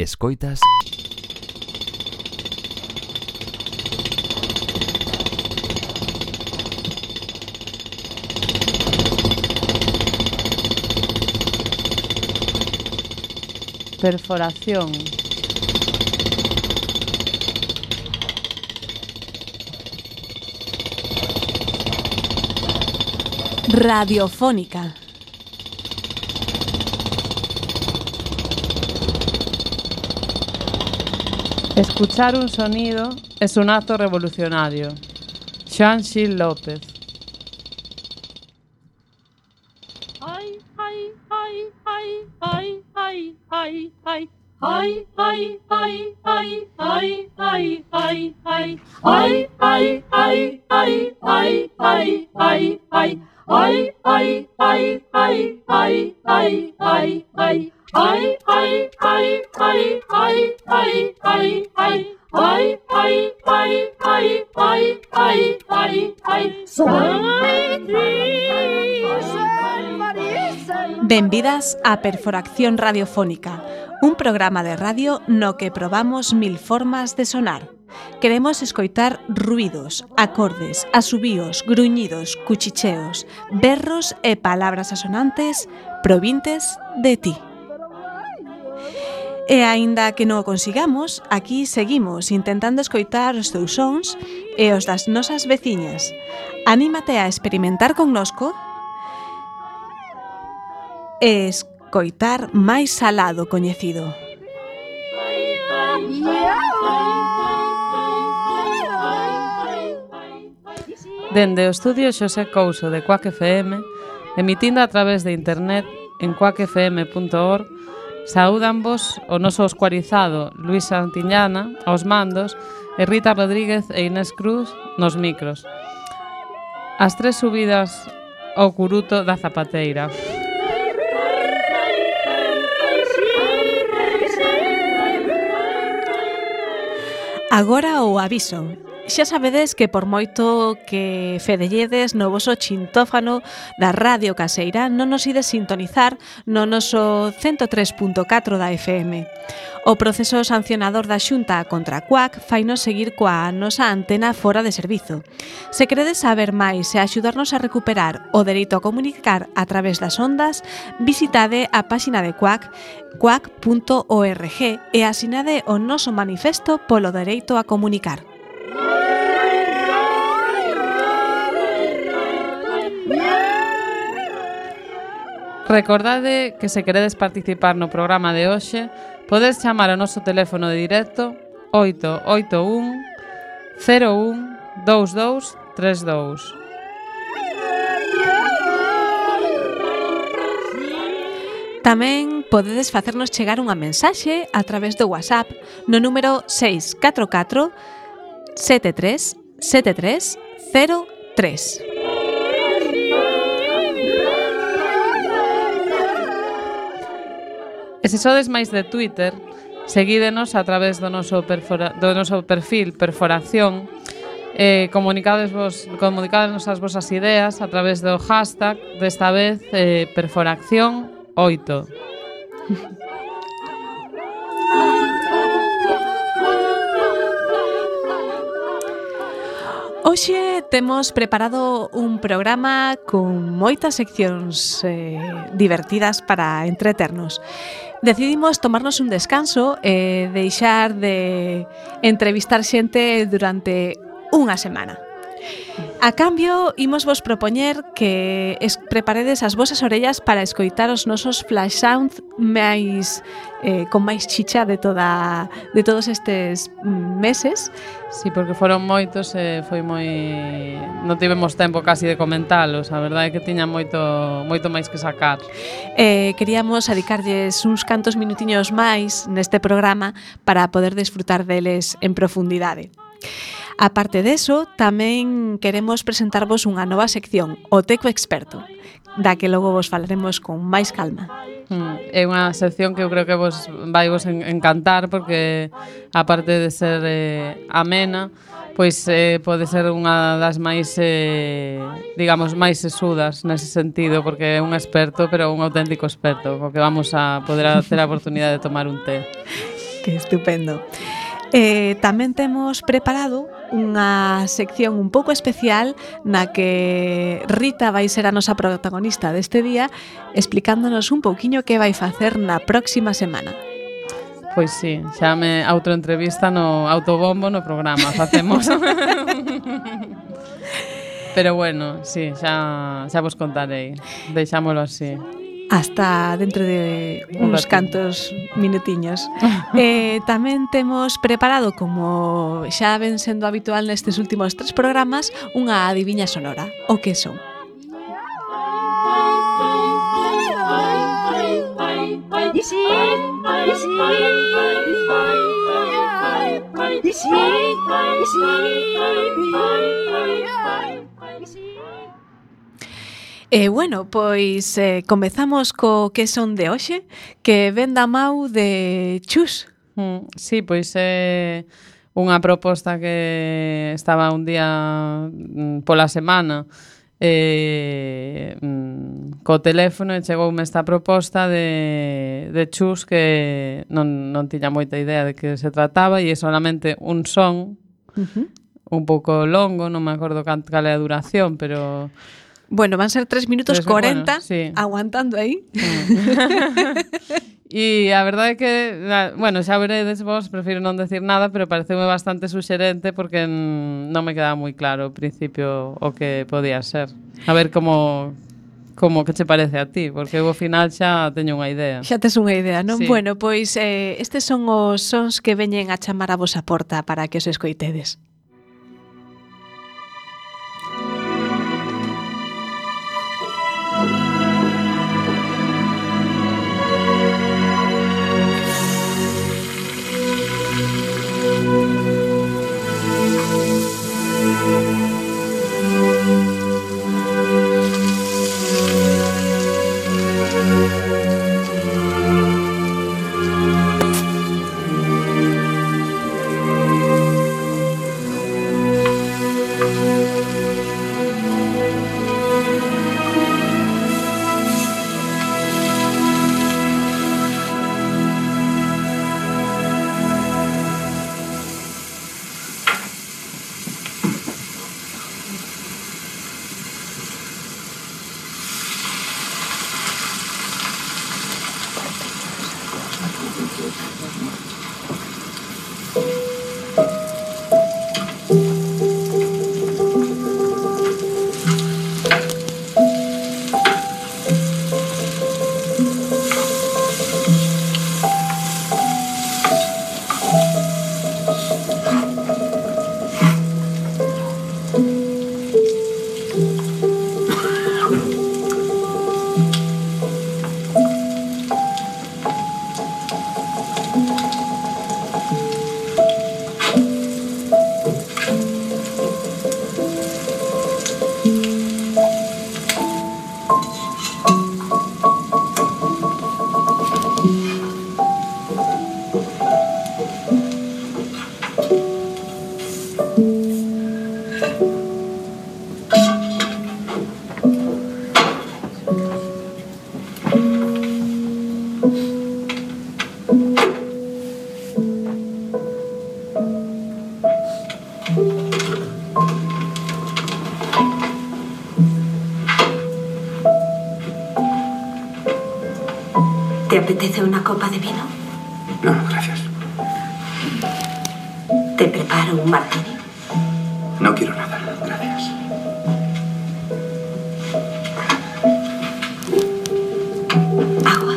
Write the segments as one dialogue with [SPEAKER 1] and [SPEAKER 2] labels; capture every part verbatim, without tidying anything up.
[SPEAKER 1] Escoitas
[SPEAKER 2] Perforación.
[SPEAKER 3] Radiofónica.
[SPEAKER 2] Escuchar un sonido es un acto revolucionario. Joan Gil López.
[SPEAKER 4] Ay, ay, ay, ay, ay, ay, ay, ay. Ay, ay, ay, ay, ay, ay, ay, ay. Ay, ay, ay, ay, ay, ay, ay, ay. Ay, ay, ay, ay, ay, ay, ay, ay. Ay, ay, ay, ay, ay, ay, ay, ay. Ay, ay, ay, ay, ay, ay, ay, ay.
[SPEAKER 3] Benvidas a Perforación Radiofónica, un programa de radio no que probamos mil formas de sonar. Queremos escoitar ruidos, acordes, asubíos, gruñidos, cuchicheos, berros e palabras asonantes provintes de ti. E aínda que non o consigamos, aquí seguimos intentando escoitar os teus sons e os das nosas veciñas. Anímate a experimentar connosco e escoitar máis alado coñecido.
[SPEAKER 2] Dende o estudio Xosé Couso de Quack F M, emitindo a través de internet en quack f m punto org, saúdanvos o noso escuarizado Luis Santiñana aos mandos e Rita Rodríguez e Inés Cruz nos micros. As tres subidas ao curuto da zapateira.
[SPEAKER 3] Agora o aviso. Xa sabedes que por moito que fedelledes no voso chintófano da radio caseira non nos ides sintonizar no noso cento tres punto catro da F M. O proceso sancionador da Xunta contra a Quack fainos seguir coa nosa antena fora de servizo. Se queredes saber máis e axudarnos a recuperar o dereito a comunicar a través das ondas, visitade a páxina de Quack, quack punto org, e asinade o noso manifesto polo dereito a comunicar.
[SPEAKER 2] Recordade que se queredes participar no programa de hoxe, podes chamar ao noso teléfono de directo oito oito un cero un dous dous tres dous.
[SPEAKER 3] Tamén podedes facernos chegar unha mensaxe a través do WhatsApp no número seis catro catro sete tres sete tres cero tres.
[SPEAKER 2] E se sodes máis de Twitter, seguídenos a través do noso, perfora, do noso perfil Perforación, eh, comunicades vos, comunicades as vosas ideas a través do hashtag, desta vez, eh, Perforación oito.
[SPEAKER 3] Hoxe temos preparado un programa con moitas seccións eh, divertidas para entreternos. Decidimos tomarnos un descanso e deixar de entrevistar xente durante unha semana. A cambio, imos vos propoñer que es preparedes as vosas orellas para escoitar os nosos flash sound máis eh, con máis chicha de toda de todos estes meses.
[SPEAKER 2] Sí, porque foron moitos e foi moi... non tivemos tempo casi de comentalos. A verdade é que tiña moito moito máis que sacar.
[SPEAKER 3] Eh, queríamos dedicarlles uns cantos minutiños máis neste programa para poder desfrutar deles en profundidade. Aparte deso, tamén queremos presentarvos unha nova sección, o Teco Experto, da que logo vos falaremos con máis calma.
[SPEAKER 2] Mm, é unha sección que eu creo que vos vai vos encantar porque, aparte de ser eh, amena, pois eh, pode ser unha das máis, eh, digamos, máis sesudas nese sentido, porque é un experto, pero un auténtico experto, co que vamos a poder ter a oportunidade de tomar un té.
[SPEAKER 3] Que estupendo. Eh, tamén temos preparado unha sección un pouco especial na que Rita vai ser a nosa protagonista deste día, explicándonos un pouquiño que vai facer na próxima semana.
[SPEAKER 2] Pois sí, xa me autoentrevista no autobombo no programa, facemos. Pero bueno, sí, xa, xa vos contarei. Deixámolo así.
[SPEAKER 3] Hasta dentro de uns cantos minutiños. eh, tamén temos preparado, como xa ven sendo habitual nestes últimos tres programas, unha adiviña sonora. O que son? E, eh, bueno, pois eh, comezamos co que son de hoxe, que ven da mau de Chus.
[SPEAKER 2] Mm, sí, pois é unha proposta que estaba un día mm, pola semana eh, mm, co teléfono e chegoume esta proposta de, de Chus que non, non tiña moita idea de que se trataba e é solamente un son uh-huh. un pouco longo, non me acordo cal é a duración, pero...
[SPEAKER 3] Bueno, van ser tres minutos cuarenta,
[SPEAKER 2] bueno, sí.
[SPEAKER 3] Aguantando aí.
[SPEAKER 2] E a verdade é que, bueno, xa veredes vos, prefiro non decir nada, pero pareceume bastante suxerente porque non me quedaba moi claro ao principio o que podía ser. A ver como como que che parece a ti, porque eu ao final xa teño unha idea.
[SPEAKER 3] Xa tes unha idea, non?
[SPEAKER 2] Sí.
[SPEAKER 3] Bueno, pois eh, estes son os sons que veñen a chamar a vosa porta para que os escoitedes.
[SPEAKER 1] ¿Te apetece una copa de vino?
[SPEAKER 5] No, gracias.
[SPEAKER 1] ¿Te preparo un martini?
[SPEAKER 5] No quiero nada, gracias.
[SPEAKER 1] ¿Agua?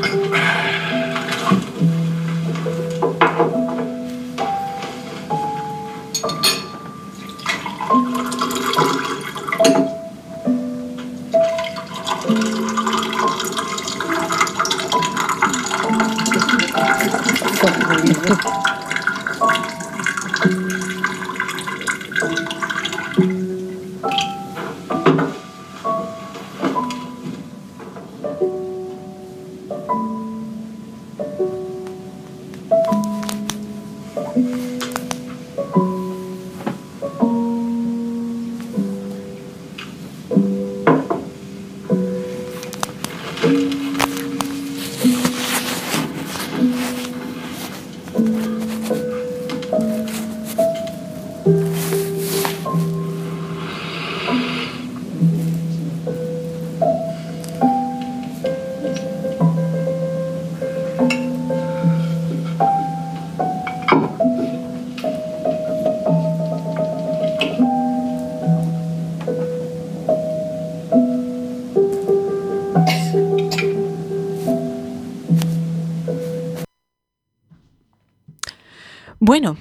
[SPEAKER 3] Bueno,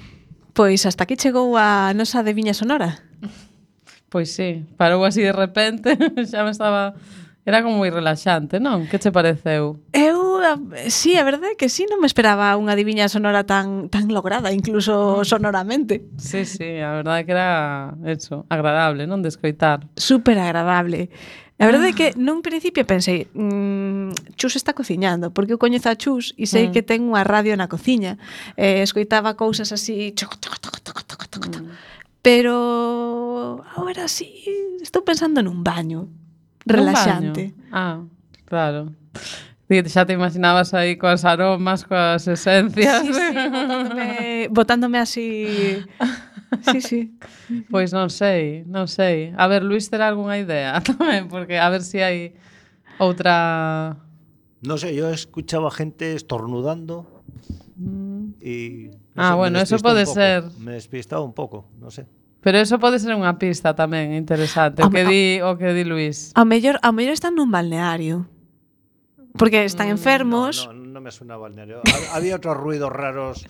[SPEAKER 3] pois hasta aquí chegou a nosa adiviña sonora.
[SPEAKER 2] Pois sí, parou así de repente, xa me estaba... Era como moi relaxante, non? Que che pareceu?
[SPEAKER 3] Eu, sí, a verdade é que sí, non me esperaba unha adiviña sonora tan tan lograda, incluso sonoramente.
[SPEAKER 2] Sí, sí, a verdade é que era eso, agradable, non? De escoitar.
[SPEAKER 3] Súper agradable. A verdade é que nun principio pensei, mmm, Chus está cociñando, porque eu coñezo a Chus e sei mm. que ten unha radio na cociña. Eh, escoitaba cousas así, choco, toco, toco, toco, toco, toco, toco. Mm. Pero agora sí, estou pensando nun baño relaxante.
[SPEAKER 2] Ah, claro. Xa te imaginabas aí coas aromas, coas esencias.
[SPEAKER 3] Sí, sí, botándome, botándome así... Sí, sí.
[SPEAKER 2] Pois non sei, non sei. A ver, Luis, terá algunha idea tamén, porque a ver se si hai outra...
[SPEAKER 6] No sé, yo escuchaba gente estornudando
[SPEAKER 2] mm.
[SPEAKER 6] y... No
[SPEAKER 2] ah,
[SPEAKER 6] sé,
[SPEAKER 2] bueno, eso pode ser...
[SPEAKER 6] Me despistaba un pouco, no sé.
[SPEAKER 2] Pero eso pode ser unha pista tamén interesante, o que di o que di Luis.
[SPEAKER 3] A mellor, a mellor están nun balneario. Porque están enfermos.
[SPEAKER 6] No, no, no me suena a balneario. Había otros ruidos raros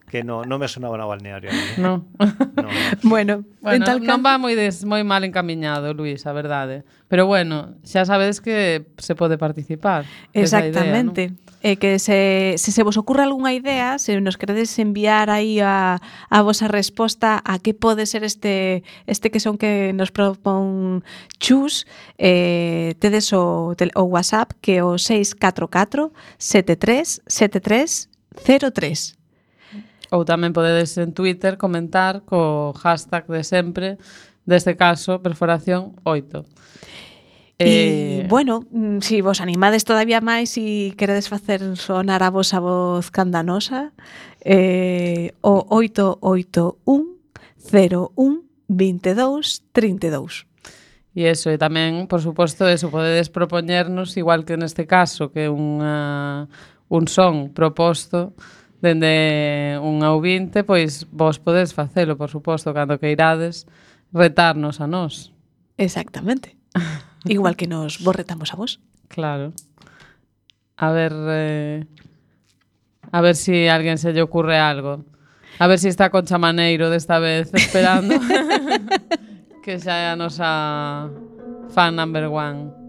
[SPEAKER 6] que no, no me sonaban a balneario.
[SPEAKER 2] No.
[SPEAKER 6] no, no.
[SPEAKER 3] Bueno,
[SPEAKER 2] bueno
[SPEAKER 3] en tal
[SPEAKER 2] non
[SPEAKER 3] can...
[SPEAKER 2] va moi des, moi mal encamiñado, Luis, a verdade. Pero bueno, xa sabedes que se pode participar.
[SPEAKER 3] Exactamente.
[SPEAKER 2] Idea, ¿no?
[SPEAKER 3] E eh, que se, se se vos ocurre algunha idea, se nos queredes enviar aí a, a vosa resposta a que pode ser este este que son que nos propón Chus, eh, tedes o, o WhatsApp que é o seis catro catro sete tres sete tres cero tres.
[SPEAKER 2] Ou tamén podedes en Twitter comentar co hashtag de sempre, deste caso, perforación oito.
[SPEAKER 3] E, eh... bueno, si vos animades todavía máis e queredes facer sonar a vosa voz candanosa, eh, o oito oito un cero un veintidós trinta e dous.
[SPEAKER 2] E eso, e tamén, por suposto, eso, podedes propoñernos, igual que neste caso, que unha, un son proposto dende un ouvinte, pois vos podedes facelo, por suposto, cando que irades retarnos a nós.
[SPEAKER 3] Exactamente. Igual que nos vos retamos a vos.
[SPEAKER 2] Claro. A ver, eh, a ver si a alguén se lle ocurre algo. A ver si está Concha Maneiro desta vez esperando. Que xa é a nosa fan number one.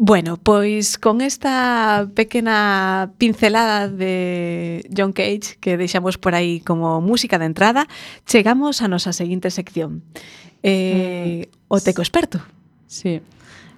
[SPEAKER 3] Bueno, pois con esta pequena pincelada de John Cage que deixamos por aí como música de entrada, chegamos a nosa seguinte sección. Eh, mm. O Teco Experto.
[SPEAKER 2] Sí.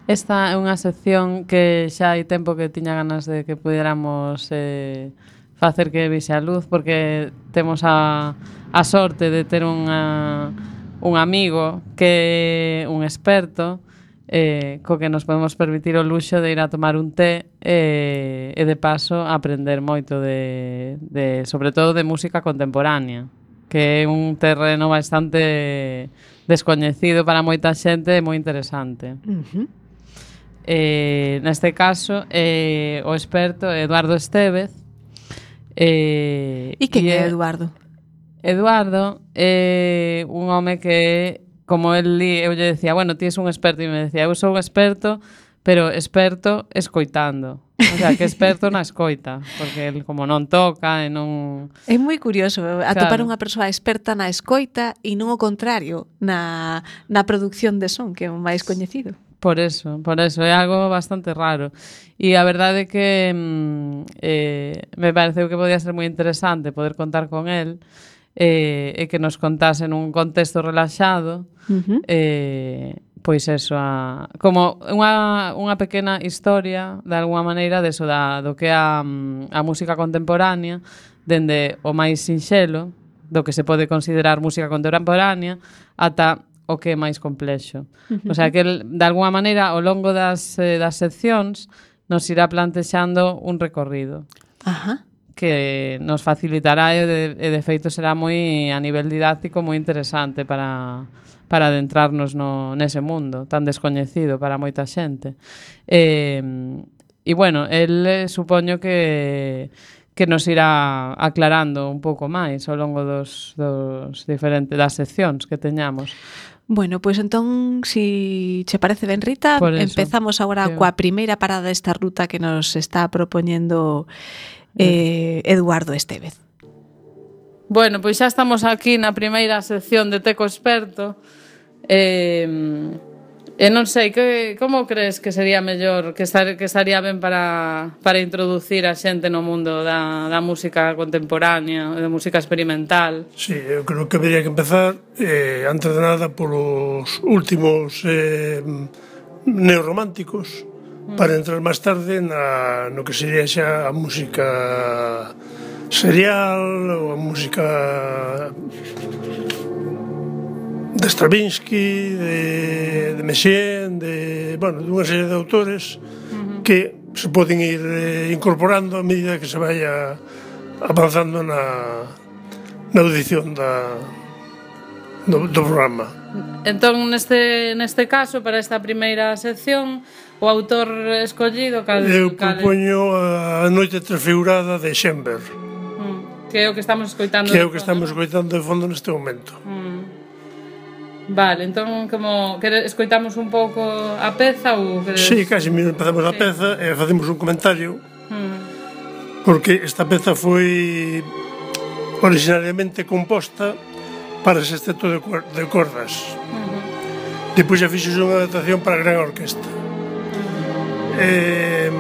[SPEAKER 2] Esta é unha sección que xa hai tempo que tiña ganas de que pudiéramos eh, facer que vise a luz, porque temos a, a sorte de ter unha, un amigo que é un experto, eh, co que nos podemos permitir o luxo de ir a tomar un té eh, e de paso aprender moito de, de, sobre todo de música contemporánea, que é un terreno bastante descoñecido para moita xente e moi interesante.
[SPEAKER 3] Uh-huh.
[SPEAKER 2] Eh, neste caso, eh, o experto é Eduardo Estévez. Eh,
[SPEAKER 3] e que é Eduardo?
[SPEAKER 2] Eduardo é un home que, como el li, eu lle decía, bueno, ti es un experto, e me decía, eu sou un experto, pero experto escoitando. O sea, que experto na escoita, porque el como non toca e non...
[SPEAKER 3] É moi curioso atopar
[SPEAKER 2] claro.
[SPEAKER 3] unha persoa experta na escoita e non o contrario, na, na produción de son, que é o máis coñecido.
[SPEAKER 2] Por eso, por eso, é algo bastante raro. E a verdade é que mm, eh, me pareceu que podía ser moi interesante poder contar con el eh, e que nos contase nun contexto relaxado uh-huh. eh, pois eso, a, como unha, unha pequena historia, de alguma maneira, deso da, do que é a, a música contemporánea, dende o máis sinxelo, do que se pode considerar música contemporánea, ata o que é máis complexo. Uh-huh. O sea, que, de alguma maneira, ao longo das, eh, das seccións, nos irá plantexando un recorrido.
[SPEAKER 3] Ajá.
[SPEAKER 2] Que nos facilitará e de, e de feito será moi a nivel didáctico moi interesante para, para adentrarnos no, nese mundo tan descoñecido para moita xente. E, e bueno, el eh, supoño que que nos irá aclarando un pouco máis ao longo dos, dos diferentes das seccións que teñamos.
[SPEAKER 3] Bueno, pois pues entón, si che parece ben, Rita, empezamos agora que... coa primeira parada desta ruta que nos está propoñendo eh, Eduardo Estévez.
[SPEAKER 2] Bueno, pois xa estamos aquí na primeira sección de Teco Experto. Eh, e non sei, que, como crees que sería mellor, que, estar, que estaría ben para, para introducir a xente no mundo da, da música contemporánea, da música experimental?
[SPEAKER 7] Sí, eu creo que habría que empezar, eh, antes de nada, polos últimos eh, neorrománticos, mm. para entrar máis tarde na, no que sería xa a música serial, ou a música de Stravinsky, de, de Messiaen, de, bueno, dunha serie de autores uh-huh. que se poden ir eh, incorporando a medida que se vaya avanzando na, na audición da, do, do programa.
[SPEAKER 2] Entón, neste, neste caso, para esta primeira sección, o autor escollido... Cal,
[SPEAKER 7] Eu
[SPEAKER 2] cal...
[SPEAKER 7] propoño a Noite Transfigurada de Schoenberg.
[SPEAKER 2] Mm, que é o que estamos escoitando.
[SPEAKER 7] Que é o que estamos escoitando de fondo neste momento.
[SPEAKER 2] Mm. Vale, entón, como que escoitamos un pouco a peza ou queres...
[SPEAKER 7] Sí, casi empezamos a sí. peza e facemos un comentario mm. porque esta peza foi originariamente composta para sexteto de, de cordas uh-huh. depois xa fixo unha adaptación para a gran orquesta uh-huh. e,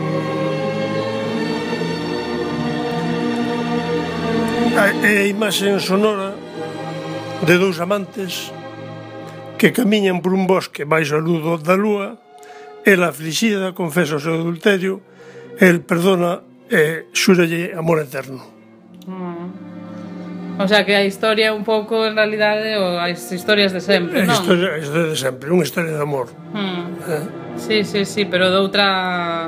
[SPEAKER 7] a, a imaxe sonora de dous amantes que camiñan por un bosque baixo a luz da lúa, ela aflixida confesa o seu adulterio, el perdona e xúralle amor eterno.
[SPEAKER 2] Mm. O sea que a historia un pouco en realidade o as historias de sempre, non?
[SPEAKER 7] A historia, a historia de sempre, unha historia de amor.
[SPEAKER 2] Mm.
[SPEAKER 7] Eh?
[SPEAKER 2] Sí, sí, sí, pero de outra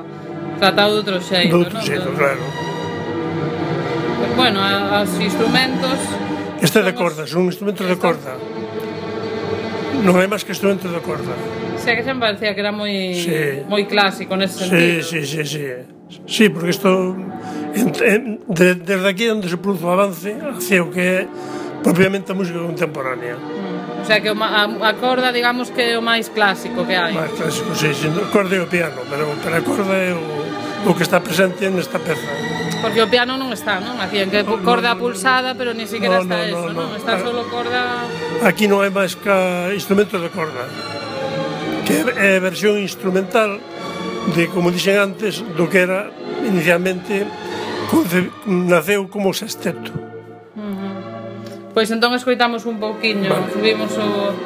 [SPEAKER 2] tratado de outro xeito,
[SPEAKER 7] non? De outro xeito,
[SPEAKER 2] ¿no?
[SPEAKER 7] claro.
[SPEAKER 2] Bueno, os instrumentos...
[SPEAKER 7] Este é de corda, son instrumentos de corda. Non hai máis que instrumentos de corda.
[SPEAKER 2] Sí, que xa me parecía que era moi
[SPEAKER 7] sí.
[SPEAKER 2] moi clásico nese sentido.
[SPEAKER 7] Sí, sí, sí, sí. Sí, porque isto en, en, de, desde aquí onde se produce o avance hacia o que é propiamente a música contemporánea.
[SPEAKER 2] Mm. O sea que a, a corda, digamos que é o máis clásico que hai.
[SPEAKER 7] Máis clásico, sí, sí. O corda e o piano, pero, pero a corda é o, o que está presente nesta peza.
[SPEAKER 2] Porque o piano non está, non? Aquí en que corda no, no, pulsada, pero ni siquiera no, está no, eso, non? No, no. Está solo corda...
[SPEAKER 7] Aquí non hai máis que instrumentos de corda, que é a versión instrumental de, como dixen antes, do que era inicialmente naceu como sexteto.
[SPEAKER 2] Uh-huh. Pois entón escoitamos un pouquiño, vale. Subimos o...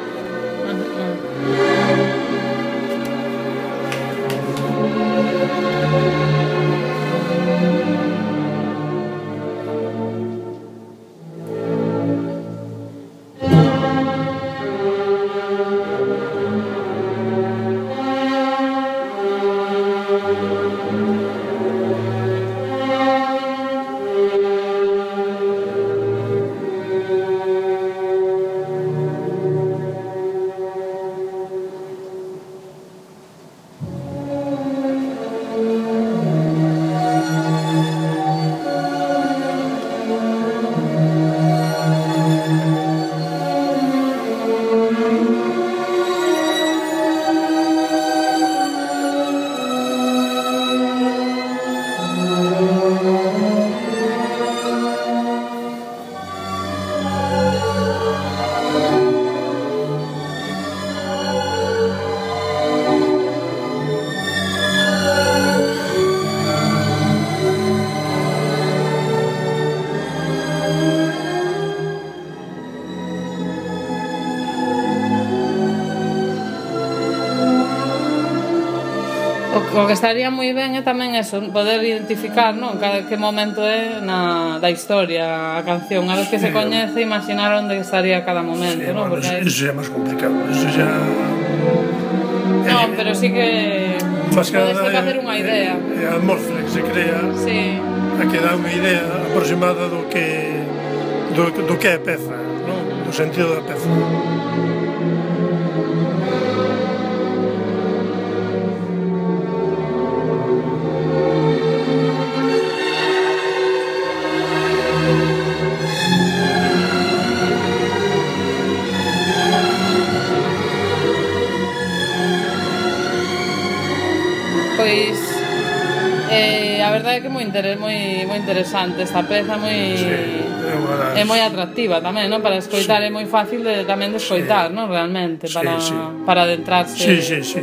[SPEAKER 2] O que estaría moi ben é tamén eso, poder identificar, non, cada que momento é na da historia a canción, a los que se coñece, imaginar onde estaría cada momento,
[SPEAKER 7] sí,
[SPEAKER 2] non?
[SPEAKER 7] Bueno,
[SPEAKER 2] Porque
[SPEAKER 7] eso xa é máis complicado, eso xa...
[SPEAKER 2] Non, eh, pero sí que podes facer unha idea.
[SPEAKER 7] É a atmósfera que se crea,
[SPEAKER 2] sí.
[SPEAKER 7] A que dá unha idea aproximada do que do, do que é a peza, non? Do sentido da peza.
[SPEAKER 2] Pois eh, a verdade é que é moi, interes, moi, moi interesante esta peza, moi
[SPEAKER 7] sí, é,
[SPEAKER 2] é moi atractiva tamén, non? Para escoitar sí. É moi fácil de, tamén de escoitar, sí. Non? Realmente, para,
[SPEAKER 7] sí, sí.
[SPEAKER 2] para adentrarse.
[SPEAKER 7] Sí, sí, sí.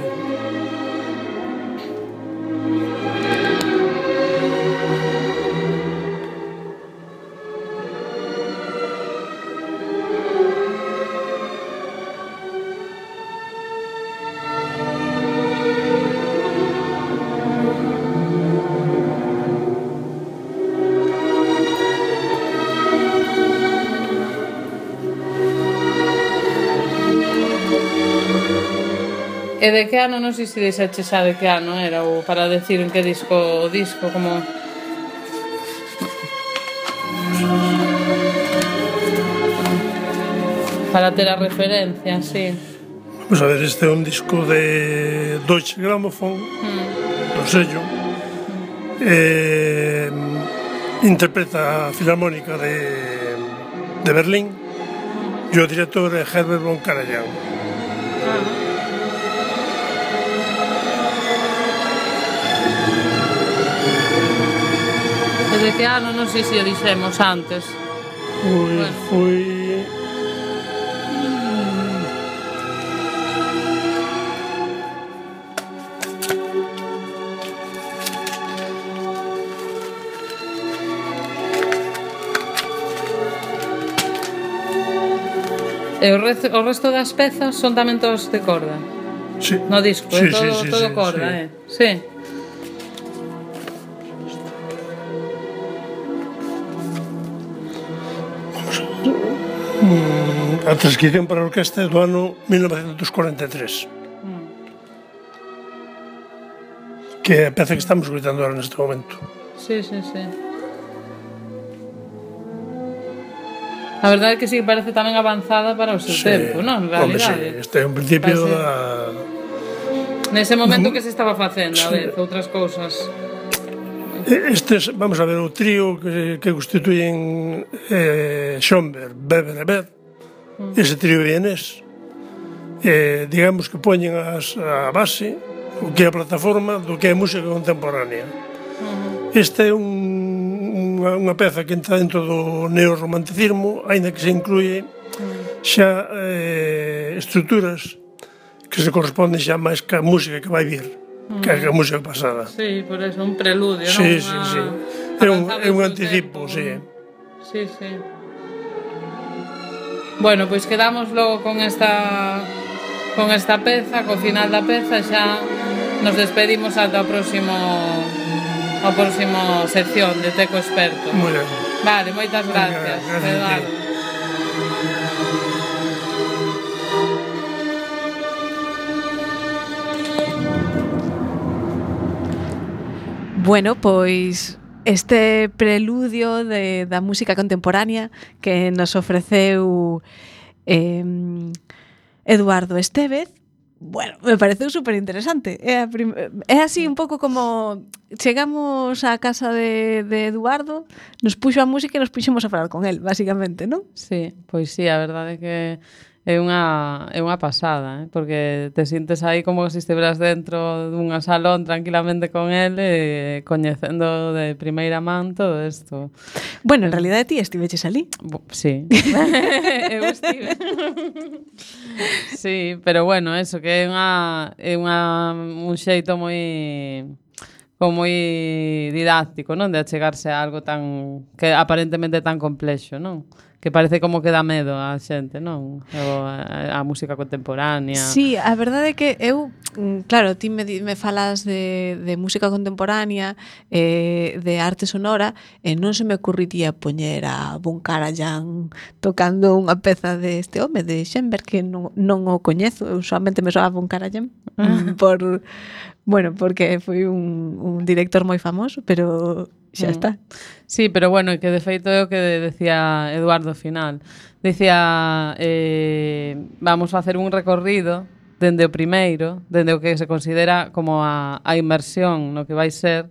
[SPEAKER 2] E de que ano, non sei se dixeche xa de que ano era, ou para decir en que disco o disco, como... Para ter a referencia, sí.
[SPEAKER 7] Vamos a ver, este é un disco de Deutsche Grammophon, mm. do sello, mm. eh, interpreta a Filarmónica de, de Berlín, mm. e o director é Herbert von Karajan. Ah.
[SPEAKER 2] De que ano, non sei se o dixemos antes.
[SPEAKER 7] Foi... Bueno. foi...
[SPEAKER 2] E o resto, o resto das pezas son tamén todos de corda?
[SPEAKER 7] Sí.
[SPEAKER 2] No disco,
[SPEAKER 7] sí,
[SPEAKER 2] é todo,
[SPEAKER 7] sí, sí,
[SPEAKER 2] todo
[SPEAKER 7] sí,
[SPEAKER 2] corda,
[SPEAKER 7] sí.
[SPEAKER 2] eh? Sí.
[SPEAKER 7] A transcripción para a orquesta é do ano mil novecentos cuarenta e tres, mm. que é a peza que estamos escutando agora neste momento.
[SPEAKER 2] Sí, sí, sí. A verdade é que sí, parece tamén avanzada para o seu sí. tempo, non? En realidade.
[SPEAKER 7] Hombre, sí, este é un principio da...
[SPEAKER 2] Nese momento que se estaba facendo, a ver, outras cousas.
[SPEAKER 7] Estes, vamos a ver, o trío que, que constituyen eh, Schoenberg, Weber e Berg, mm. ese trío vienés, eh, digamos que poñen as, a base, o que é a plataforma do que é música contemporánea. Mm. Este é un, unha, unha peza que entra dentro do neorromanticismo, aínda que se incluye mm. xa eh, estruturas que se corresponden xa máis ca música que vai vir. Que é a música pasada.
[SPEAKER 2] Sí, por eso, un preludio,
[SPEAKER 7] sí,
[SPEAKER 2] non?
[SPEAKER 7] Sí, sí, é un, é un anticipo, sí.
[SPEAKER 2] Sí, sí. Bueno, pois pues quedamos logo con esta con esta peza, co final da peza, xa nos despedimos ata o próximo o próximo sección de Teco Experto.
[SPEAKER 7] Moi ben.
[SPEAKER 2] Vale, moitas gracias,
[SPEAKER 7] gracias
[SPEAKER 2] Eduardo.
[SPEAKER 3] Bueno, pois este preludio de, da música contemporánea que nos ofreceu eh, Eduardo Estévez, bueno, me pareceu super interesante. É, a prim- é así un pouco como chegamos á casa de, de Eduardo, nos puxo a música e nos puxemos a falar con él, basicamente, non?
[SPEAKER 2] Sí, pois sí, a verdade é que é unha, é unha pasada, eh? Porque te sintes aí como se estiveras dentro dunha salón tranquilamente con ele, eh, coñecendo de primeira man todo isto.
[SPEAKER 3] Bueno, en realidade ti estiveches ali.
[SPEAKER 2] Bo, sí. Eu estive. Sí, pero bueno, eso, que é unha, é unha, un xeito moi... como moi didáctico, non? De achegarse a algo tan... que aparentemente tan complexo, non? que parece como que dá medo á xente, non? O a, a música contemporánea.
[SPEAKER 3] Sí, a verdade é que eu, claro, ti me, me falas de, de música contemporánea, eh, de arte sonora, e non se me ocurriría poñer a Von Karajan tocando unha peza deste home, de Schoenberg, que non, non o coñezo, eu solamente me soa Von Karajan, por... Bueno, porque foi un, un director moi famoso, pero xa está.
[SPEAKER 2] Sí, pero bueno, que de feito é o que decía Eduardo ao final. Decía, eh, vamos facer un recorrido dende o primeiro, dende o que se considera como a, a inmersión no que vai ser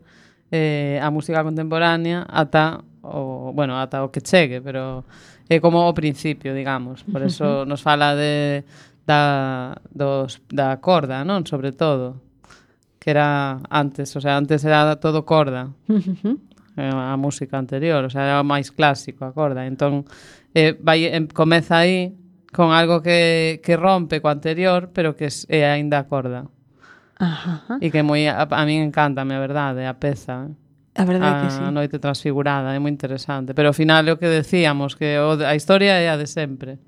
[SPEAKER 2] eh, a música contemporánea ata o, bueno, ata o que chegue, pero é como o principio, digamos. Por eso nos fala de da, dos, da corda, non? Sobre todo. Que era antes, o sea, antes era todo corda, uh-huh. a música anterior, o sea, era máis clásico a corda, entón eh, vai, em, comeza aí con algo que, que rompe co anterior, pero que é aínda a corda.
[SPEAKER 3] Ajá.
[SPEAKER 2] E que moi, a, a min encántame, a verdade, a peza.
[SPEAKER 3] A verdade
[SPEAKER 2] a,
[SPEAKER 3] que sí.
[SPEAKER 2] A noite transfigurada, é moi interesante, pero ao final é o que decíamos, que o, a historia é a de sempre.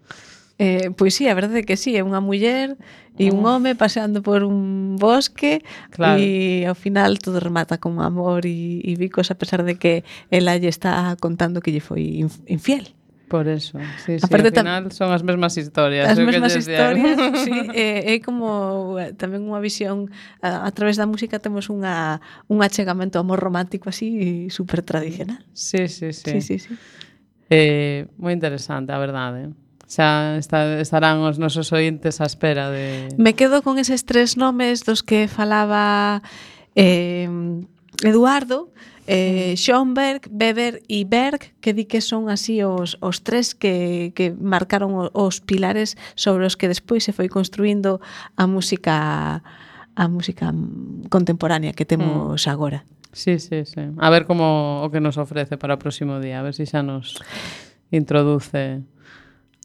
[SPEAKER 3] Eh, pois sí, a verdade é que sí, é unha muller e un home paseando por un bosque,
[SPEAKER 2] claro.
[SPEAKER 3] E ao final todo remata con amor e, e bicos, a pesar de que ela lle está contando que lle foi infiel.
[SPEAKER 2] Por eso, sí, sí,
[SPEAKER 3] Aparte,
[SPEAKER 2] ao final son as mesmas historias.
[SPEAKER 3] As mesmas historias, sí, é, é como tamén unha visión, a, a través da música temos unha, un achegamento amor romántico así super tradicional.
[SPEAKER 2] Sí, sí, sí.
[SPEAKER 3] sí, sí, sí.
[SPEAKER 2] Eh, moi interesante, a verdade. Xa está, estarán os nosos ointes á espera de...
[SPEAKER 3] Me quedo con eses tres nomes dos que falaba eh, Eduardo, eh, Schoenberg, Weber e Berg, que di que son así os, os tres que, que marcaron os pilares sobre os que despois se foi construindo a música a música contemporánea que temos mm. agora.
[SPEAKER 2] Sí, sí, sí. A ver como o que nos ofrece para o próximo día, a ver se xa nos introduce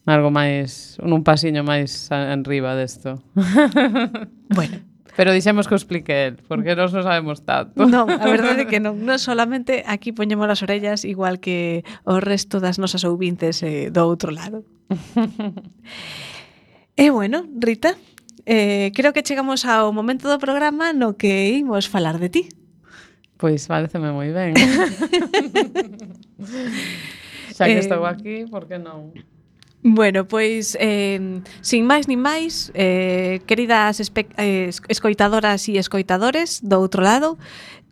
[SPEAKER 2] algo máis, nun pasiño máis enriba desto.
[SPEAKER 3] Bueno.
[SPEAKER 2] Pero dixemos que o explique el, porque nós non sabemos tanto.
[SPEAKER 3] Non, a verdade é que non. Non solamente aquí poñemos as orellas igual que o resto das nosas ouvintes eh, do outro lado. E bueno, Rita, eh, creo que chegamos ao momento do programa no que imos falar de ti.
[SPEAKER 2] Pois pareceme moi ben. Xa que eh, estou aquí, por que non?
[SPEAKER 3] Bueno, pois, eh, sin máis nin máis, eh, queridas espe- eh, escoitadoras e escoitadores do outro lado,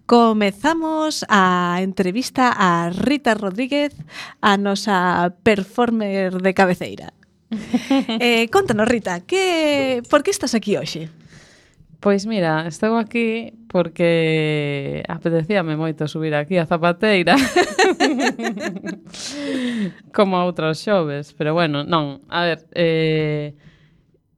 [SPEAKER 3] comezamos a entrevista a Rita Rodríguez, a nosa performer de cabeceira. eh, contanos, Rita, que, por que estás aquí hoxe?
[SPEAKER 2] Pois mira, estou aquí porque apetecíame moito subir aquí a Zapateira como a outros xoves, pero bueno, non, a ver, eh,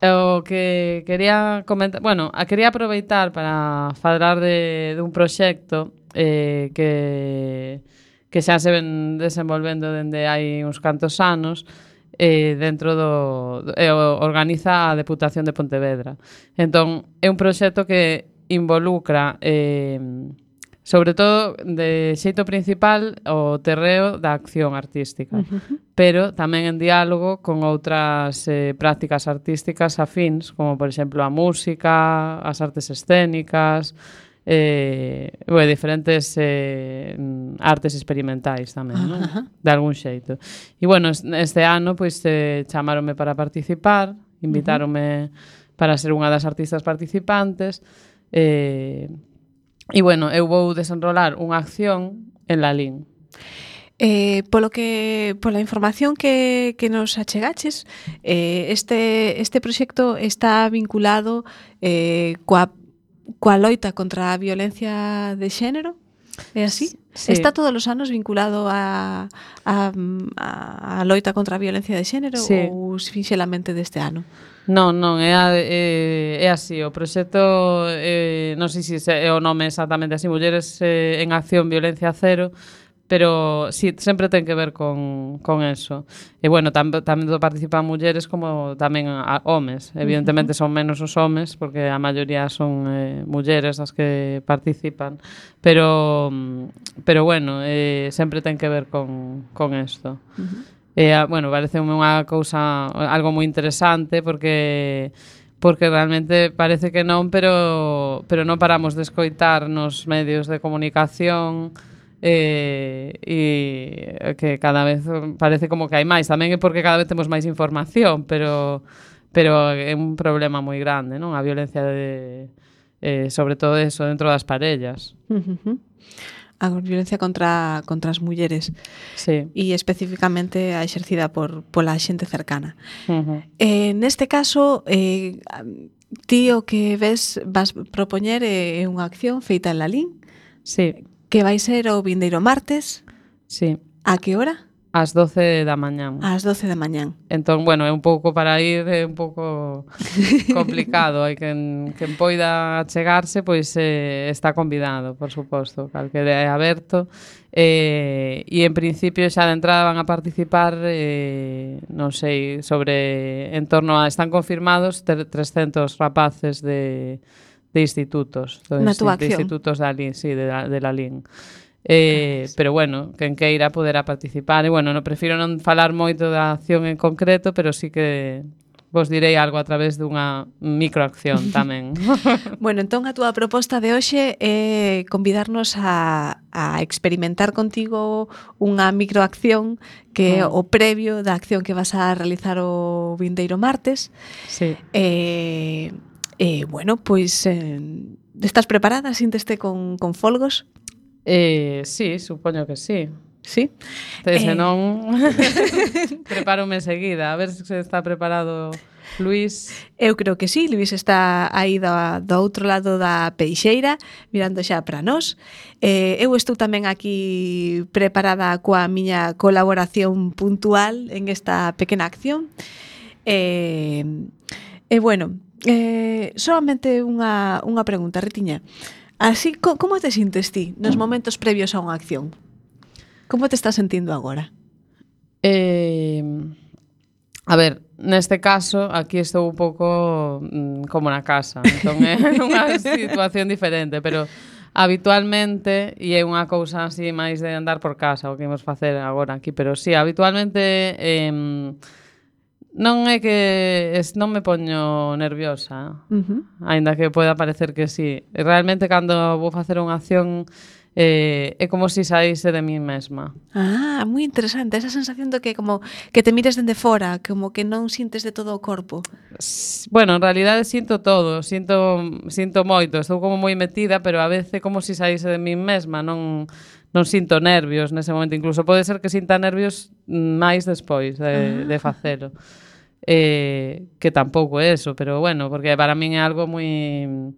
[SPEAKER 2] o que quería comentar, bueno, a quería aproveitar para falar de, de un proxecto eh, que, que xa se ven desenvolvendo dende hai uns cantos anos, eh, dentro do, do eh, organiza a Deputación de Pontevedra. Entón, é un proxecto que involucra eh, sobre todo de xeito principal o terreo da acción artística, uh-huh. pero tamén en diálogo con outras eh, prácticas artísticas afíns, como por exemplo a música, as artes escénicas, eh, bueno, diferentes eh, artes experimentais tamén, non? Uh-huh. De algún xeito. E bueno, este ano pois eh, chamaronme para participar, invitáronme uh-huh. para ser unha das artistas participantes, eh, e bueno, eu vou desenrolar unha acción en Lalín.
[SPEAKER 3] Eh, polo que pola información que, que nos achegaches, eh, este, este proxecto está vinculado eh, coa coa loita contra a violencia de xénero, é así? Sí. Está todos os anos vinculado a, a, a loita contra a violencia de xénero, sí. Ou finxelamente deste ano?
[SPEAKER 2] Non, non, é, a, é, é así, o proxecto, eh, non sei se é o nome exactamente así, Mulleres eh, en Acción Violencia Cero, pero sí, sempre ten que ver con, con eso. E bueno, tam, tamén participan mulleres como tamén a, homes. Evidentemente son menos os homes, porque a maioría son eh, mulleres as que participan, pero pero bueno, eh, sempre ten que ver con, con esto. Uh-huh. E, a, bueno, parece unha cousa, algo moi interesante, porque porque realmente parece que non, pero pero non paramos de escoitar nos medios de comunicación, eh, e que cada vez parece como que hai máis. Tamén é porque cada vez temos máis información, pero pero é un problema moi grande, non? A violencia de eh, sobre todo eso dentro das parellas.
[SPEAKER 3] Uh-huh. A violencia contra, contra as mulleres,
[SPEAKER 2] sí.
[SPEAKER 3] E especificamente a exercida por pola xente cercana.
[SPEAKER 2] Uh-huh.
[SPEAKER 3] Eh, neste caso, eh, ti o que ves vas propoñer é eh, unha acción feita en Lalín,
[SPEAKER 2] sí.
[SPEAKER 3] Que vai ser o vindeiro martes.
[SPEAKER 2] Sí.
[SPEAKER 3] A que hora?
[SPEAKER 2] Ás doce da mañán.
[SPEAKER 3] Ás doce da mañán.
[SPEAKER 2] Entón, bueno, é un pouco para ir, é un pouco complicado. Hai quen, quen poida achegarse, pois eh, está convidado, por suposto, calquera é aberto. Eh, e en principio xa de entrada van a participar, eh, non sei, sobre, en torno a, están confirmados trescentos rapaces de, de institutos.
[SPEAKER 3] Na túa
[SPEAKER 2] de
[SPEAKER 3] acción.
[SPEAKER 2] institutos da Lalín, sí, de, de Lalín. Eh, pero bueno, quen queira poderá participar. E bueno, non prefiro non falar moito da acción en concreto, pero sí que vos direi algo a través dunha microacción tamén.
[SPEAKER 3] Bueno, entón a túa proposta de hoxe é convidarnos a, a experimentar contigo unha microacción que é o previo da acción que vas a realizar o vindeiro martes.
[SPEAKER 2] Sí.
[SPEAKER 3] E, e bueno, pois eh, estás preparada? Sínteste con, con folgos?
[SPEAKER 2] Eh, sí, supoño que sí.
[SPEAKER 3] Sí?
[SPEAKER 2] Entonces,
[SPEAKER 3] Eh...
[SPEAKER 2] se non prepárome enseguida. A ver se está preparado Luís.
[SPEAKER 3] Eu creo que sí, Luís está aí do, do outro lado da peixeira, mirando xa para nós. Eh, eu estou tamén aquí preparada coa miña colaboración puntual en esta pequena acción. E, eh, eh, bueno, eh, solamente unha, unha pregunta, Ritiña. Así, co, como te sintes ti nos momentos previos a unha acción? Como te estás sentindo agora?
[SPEAKER 2] Eh, a ver, neste caso, aquí estou un pouco mm, como na casa. Entón é unha situación diferente, pero habitualmente, e é unha cousa así máis de andar por casa, o que imos facer agora aquí, pero sí, habitualmente... Eh, non é que es, non me poño nerviosa,
[SPEAKER 3] uh-huh.
[SPEAKER 2] Aínda que poida parecer que sí. Realmente, cando vou facer unha acción, eh, é como se si saíse de mí mesma.
[SPEAKER 3] Ah, moi interesante, esa sensación de que como que te mires dende fora, como que non sintes de todo o corpo.
[SPEAKER 2] Bueno, en realidade sinto todo, sinto, sinto moito, estou como moi metida, pero a veces como se si saíse de mí mesma, non... non sinto nervios nese momento, incluso pode ser que sinta nervios máis despois de, ah. de facelo. Eh, que tampouco é eso, pero bueno, porque para min é algo moi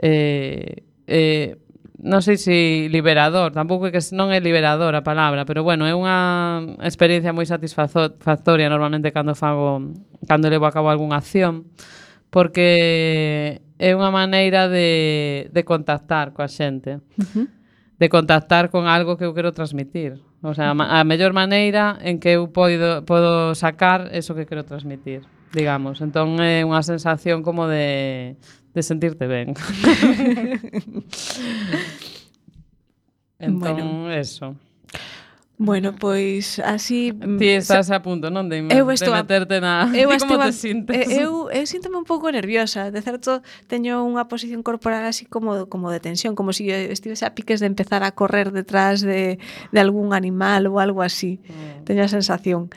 [SPEAKER 2] eh, eh, non sei se liberador, tampouco é que non é liberador a palabra, pero bueno, é unha experiencia moi satisfactoria normalmente cando fago, cando levo a cabo algunha acción, porque é unha maneira de, de contactar coa xente. Uh-huh. De contactar con algo que eu quero transmitir. O sea, a mellor maneira en que eu podo, podo sacar eso que quero transmitir, digamos. Entón é unha sensación como de, de sentirte ben. Entón, bueno. Eso.
[SPEAKER 3] Bueno, pois así...
[SPEAKER 2] Ti estás a punto, non? De, de meterte na...
[SPEAKER 3] Eu
[SPEAKER 2] como
[SPEAKER 3] a,
[SPEAKER 2] te sintes?
[SPEAKER 3] Eu, eu síntome un pouco nerviosa. De certo, teño unha posición corporal así como, como de tensión, como se si estivese a piques de empezar a correr detrás de, de algún animal ou algo así. Mm. Teño a sensación.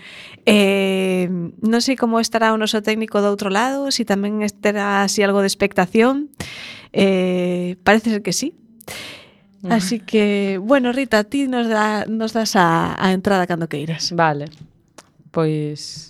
[SPEAKER 3] Eh, non sei como estará o noso técnico do outro lado, se si tamén estará así algo de expectación. Eh, parece ser que sí. Así que, bueno, Rita, ti nos, da, nos das a, a entrada cando queiras.
[SPEAKER 2] Vale, pois...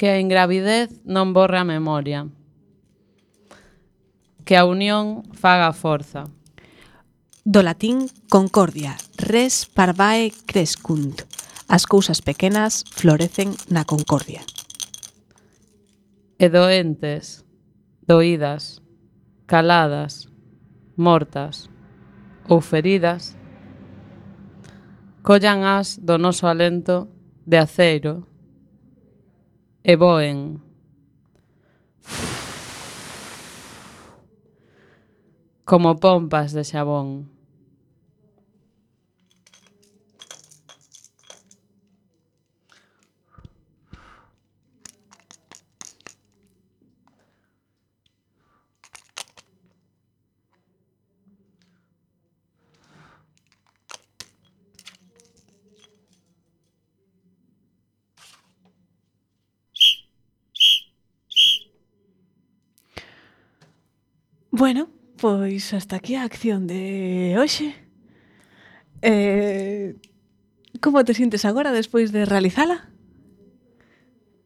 [SPEAKER 2] Que a ingravidez non borre a memoria. Que a unión faga a forza.
[SPEAKER 3] Do latín concordia, res parvae crescunt. As cousas pequenas florecen na concordia.
[SPEAKER 2] E doentes, doídas, caladas, mortas ou feridas, collan as do noso alento de aceiro e voen como pompas de xabón.
[SPEAKER 3] Bueno, pois hasta aquí a acción de hoxe. Eh, como te sintes agora despois de realizala?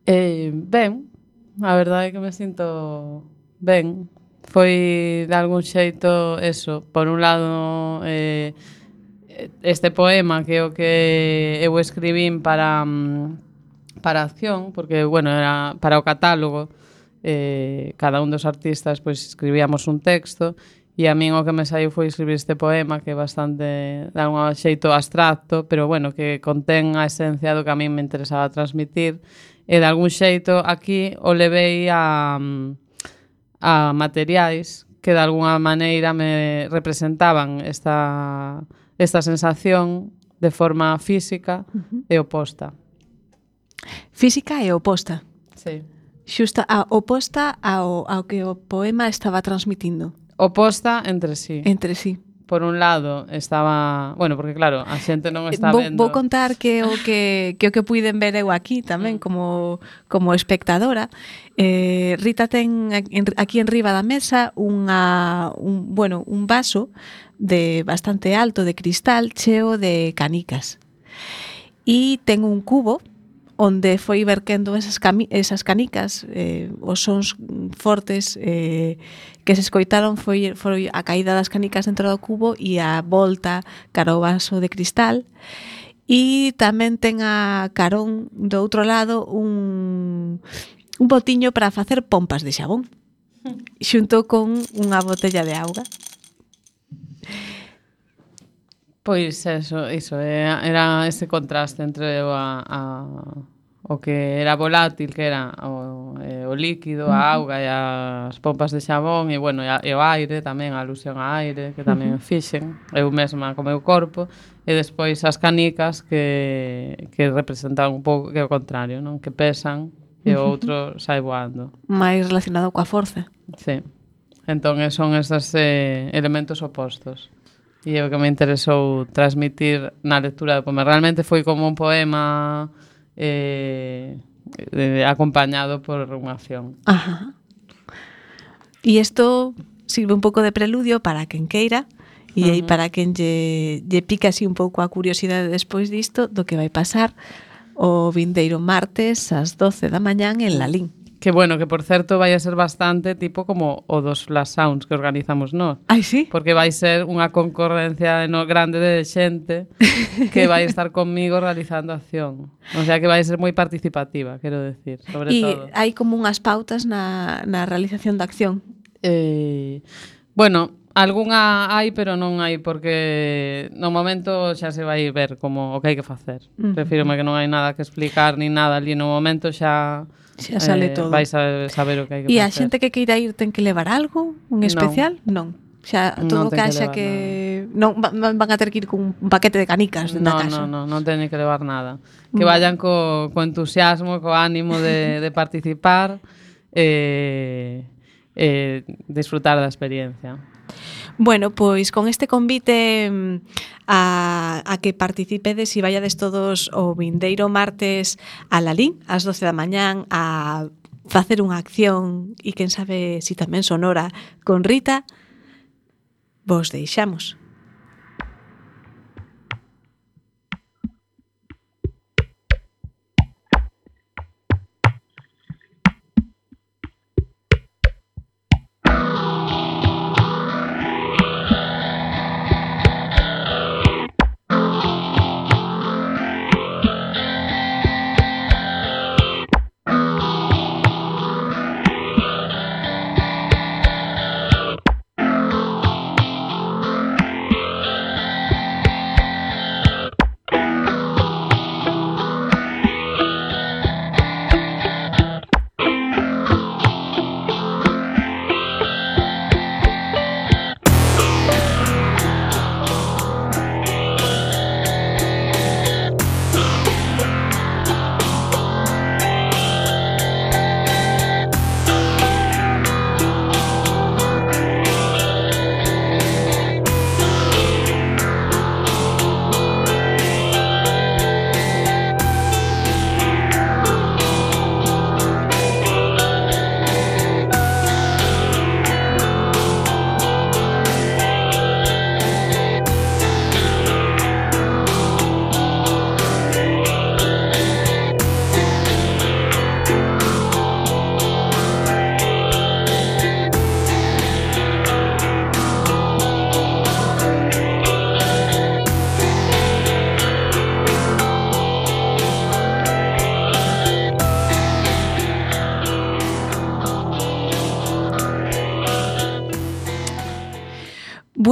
[SPEAKER 2] Eh, ben, a verdade é que me sinto ben. Foi de algún xeito eso, por un lado eh, este poema que é o que eu escribín para para a acción, porque bueno, era para o catálogo. Eh, cada un dos artistas pois escribíamos un texto e a min o que me saiu foi escribir este poema que é bastante de algún xeito abstracto, pero bueno, que contén a esencia do que a min me interesaba transmitir e de algún xeito aquí o levei a, a materiais que de alguna maneira me representaban esta, esta sensación de forma física uh-huh. e oposta.
[SPEAKER 3] Física e oposta.
[SPEAKER 2] Sí.
[SPEAKER 3] Xusta a oposta ao, ao que o poema estaba transmitindo.
[SPEAKER 2] Oposta entre sí.
[SPEAKER 3] Entre sí.
[SPEAKER 2] Por un lado estaba, bueno, porque claro, a xente non está
[SPEAKER 3] vou,
[SPEAKER 2] vendo.
[SPEAKER 3] Vou contar que o que que o que puiden ver eu aquí tamén como como espectadora. Eh, Rita ten aquí en riba da mesa unha un, bueno, un vaso de bastante alto de cristal cheo de canicas. E ten un cubo onde foi verquendo esas, cami- esas canicas, eh, os sons fortes eh, que se escoitaron foi, foi a caída das canicas dentro do cubo e a volta cara ao vaso de cristal. E tamén ten a carón do outro lado un, un botiño para facer pompas de xabón xunto con unha botella de auga.
[SPEAKER 2] Pois eso, iso, era ese contraste entre o, a, a, o que era volátil, que era o, o líquido, a auga e as pompas de xabón, e, bueno, e, a, e o aire tamén, a alusión a aire, que tamén fixen, eu mesma co meu corpo, e despois as canicas que, que representan un pouco que é o contrario, non? Que pesan e o outro sai voando.
[SPEAKER 3] Mais relacionado coa forza.
[SPEAKER 2] Sí. Entón, son estes eh, elementos opostos. E é o que me interesou transmitir na lectura do poema. Realmente foi como un poema eh, eh, acompañado por unha acción.
[SPEAKER 3] Ajá. E isto sirve un pouco de preludio para quen queira e aí uh-huh. para quen lle, lle pica así un pouco a curiosidade despois disto do que vai pasar o vindeiro martes ás doce da mañán en Lalín.
[SPEAKER 2] Que bueno, que por certo vai a ser bastante tipo como o dos Flash Sounds que organizamos nós.
[SPEAKER 3] Ai, sí?
[SPEAKER 2] Porque vai ser unha concorrencia no grande de xente que vai estar conmigo realizando acción. O sea que vai ser moi participativa, quero decir, sobre
[SPEAKER 3] e
[SPEAKER 2] todo.
[SPEAKER 3] E hai como unhas pautas na, na realización da acción?
[SPEAKER 2] Eh, bueno, algunha hai, pero non hai, porque no momento xa se vai ver como o que hai que facer. Uh-huh. Prefírome que non hai nada que explicar ni nada ali no momento, xa...
[SPEAKER 3] Xa sale
[SPEAKER 2] eh,
[SPEAKER 3] todo.
[SPEAKER 2] Vais a saber o que hai que
[SPEAKER 3] facer. E a
[SPEAKER 2] facer.
[SPEAKER 3] xente que queira ir ten que levar algo? Un especial? Non. non. Xa todo
[SPEAKER 2] non
[SPEAKER 3] que haxa que... Non van a ter que ir con un paquete de canicas dentro
[SPEAKER 2] no,
[SPEAKER 3] da casa.
[SPEAKER 2] Non, non, non teñen que levar nada. Que vayan co, co entusiasmo, co ánimo de, de participar e eh, eh, disfrutar da experiencia.
[SPEAKER 3] Bueno, pois con este convite a, a que participedes e vallades todos o vindeiro martes a Lalín, ás doce da mañán, a facer unha acción e quen sabe si tamén sonora con Rita, vos deixamos.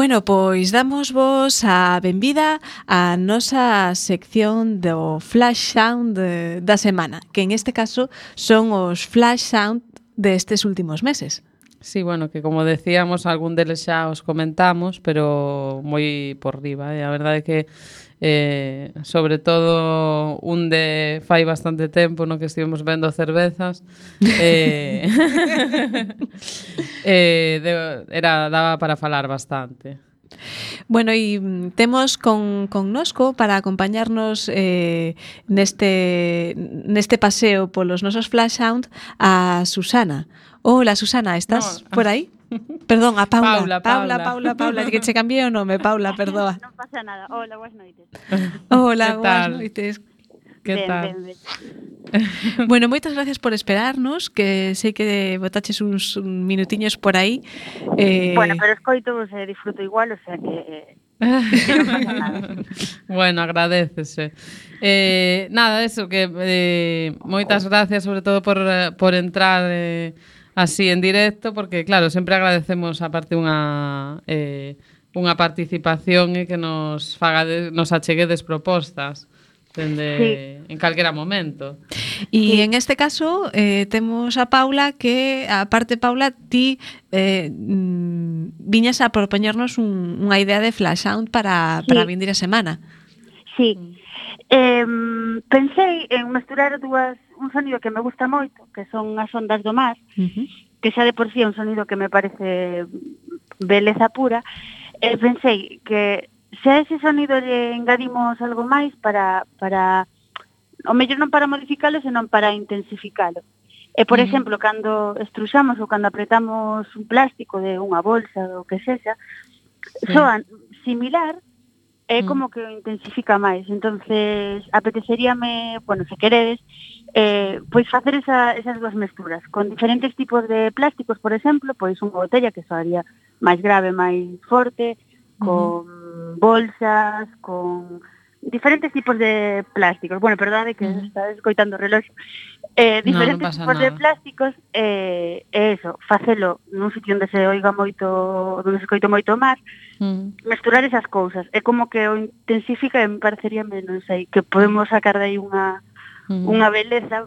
[SPEAKER 3] Bueno, pois damos vos a benvida á nosa sección do Flash Sound de, da semana, que en este caso son os Flash Sound destes últimos meses.
[SPEAKER 2] Sí, bueno, que como decíamos, algún deles xa os comentamos, pero moi por riba, eh? A verdade é que eh, sobre todo un de fai bastante tempo no que estivemos vendo cervezas eh, eh, de, era, daba para falar bastante.
[SPEAKER 3] Bueno, e temos con, con nosco para acompañarnos eh, neste, neste paseo polos nosos Flash Sound a Susana. Hola, Susana, estás no. por aí? Perdón, a Paula.
[SPEAKER 2] Paula,
[SPEAKER 3] Paula,
[SPEAKER 2] Paula,
[SPEAKER 3] Paula, Paula, que che cambiei o nome, Paula, perdoa.
[SPEAKER 8] Non pasa nada. Hola, boas noites.
[SPEAKER 3] Hola, boas noites.
[SPEAKER 2] Que
[SPEAKER 8] ben,
[SPEAKER 2] tal?
[SPEAKER 8] Ben, ben.
[SPEAKER 3] Bueno, moitas gracias por esperarnos, que sei que botaches uns minutiños por aí.
[SPEAKER 8] Eh... Bueno, pero escoito vos e disfruto igual, o sea que... que non pasa nada.
[SPEAKER 2] Bueno, agradécese. Eh, nada, eso, que eh, moitas gracias sobre todo por, por entrar eh, así en directo, porque claro, sempre agradecemos aparte unha eh, unha participación e eh, que nos faga de, nos acheguedes propostas dende sí. en calquera momento.
[SPEAKER 3] E sí. En este caso eh, temos a Paula que, aparte Paula, ti eh, viñas a propoñernos un, unha idea de Flash Sound para, sí. para vindir a semana.
[SPEAKER 8] Sí. Eh, pensei en mesturar dúas un sonido que me gusta moito, que son as ondas do mar, uh-huh. que xa de por sí é un sonido que me parece beleza pura, e pensei que se a ese sonido lle engadimos algo máis para, para o mellor non para modificalo, senón para intensificalo. E, por uh-huh. exemplo, cando estruxamos ou cando apretamos un plástico de unha bolsa ou que sexa, sí. soan similar, é como que o intensifica máis. Entonces, apeteceríame, bueno, se queredes, eh, pois facer esa, esas dúas mesturas con diferentes tipos de plásticos, por exemplo, pois unha botella que soaría máis grave, máis forte, con uh-huh. bolsas, con diferentes tipos de plásticos. Bueno, perdade que uh-huh. está escoitando o reloxo. Eh, diferentes
[SPEAKER 2] no, no
[SPEAKER 8] tipos
[SPEAKER 2] nada.
[SPEAKER 8] de plásticos, eh, e eso, facelo nun sitio onde se oiga moito, onde se escoito moito mar, uh-huh. mesturar esas cousas. É como que o intensifica e me parecería, non sei, que podemos sacar de aí unha, uh-huh. unha beleza